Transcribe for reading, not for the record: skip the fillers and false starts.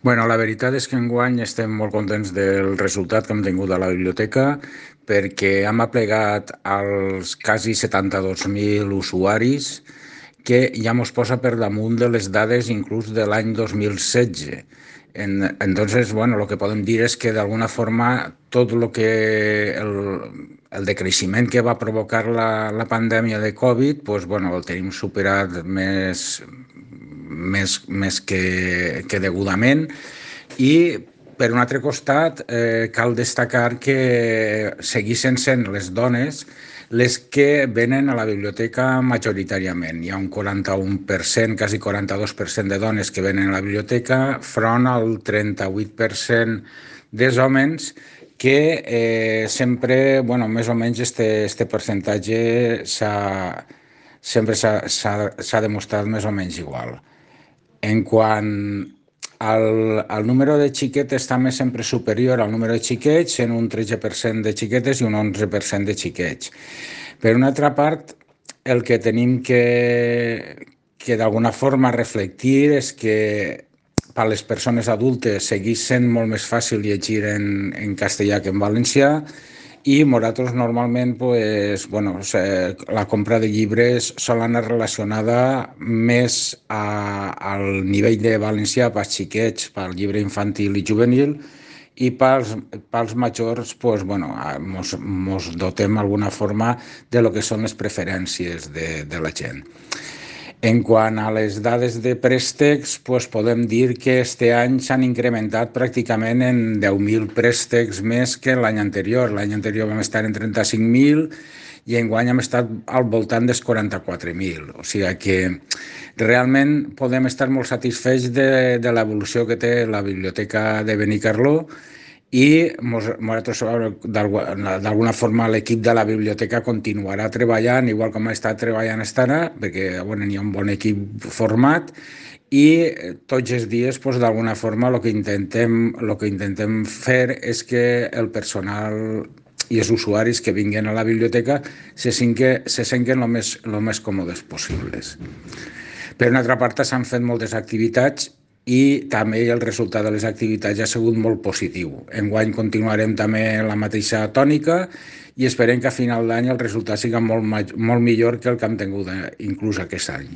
Bueno, la veritat és que enguany estem molt contents del resultat que hem tingut a la biblioteca perquè hem aplegat als quasi 72.000 usuaris que ja mos posa per damunt de les dades inclús de l'any 2016. Entonces, bueno, lo que podem dir és que d'alguna forma tot lo que el decreixement que va provocar la pandèmia de Covid, pues, bueno, el tenim superat més que degudament. I per un altre costat, cal destacar que segueixen sent les dones les que venen a la biblioteca majoritàriament. Hi ha un 41%, quasi 42% de dones que venen a la biblioteca, front al 38% dels homes que sempre, bueno, més o menys este percentatge sempre s'ha demostrat més o menys igual. En quant al número de xiquetes també sempre superior al número de xiquets, en un 13% de xiquetes i un 11% de xiquets. Per una altra part, el que tenim que d'alguna forma reflectir és que per a les persones adultes segueix sent molt més fàcil llegir en castellà que en valencià i nosaltres normalment pues, bueno, la compra de llibres sol anar relacionada més al nivell de valencià pels xiquets, pel llibre infantil i juvenil, i pels majors pues, bueno, mos dotem d'alguna forma de lo que són les preferències de la gent. En quant a les dades de préstecs, pues podem dir que este any s'han incrementat pràcticament en 10.000 préstecs més que l'any anterior. L'any anterior vam estar en 35.000 i enguany hem estat al voltant dels 44.000. O sigui que realment podem estar molt satisfets de l'evolució que té la biblioteca de Benicarló i nosaltres d'alguna forma l'equip de la biblioteca continuarà treballant igual com ha estat treballant fins ara, perquè bueno, hi ha un bon equip format i tots els dies pues, d'alguna forma el que intentem fer és que el personal i els usuaris que vinguin a la biblioteca se senten el més còmodes possibles. Per una altra part, s'han fet moltes activitats i també el resultat de les activitats ha sigut molt positiu. Enguany continuarem també la mateixa tònica i esperem que a final d'any el resultat sigui molt millor que el que hem tingut inclús aquest any.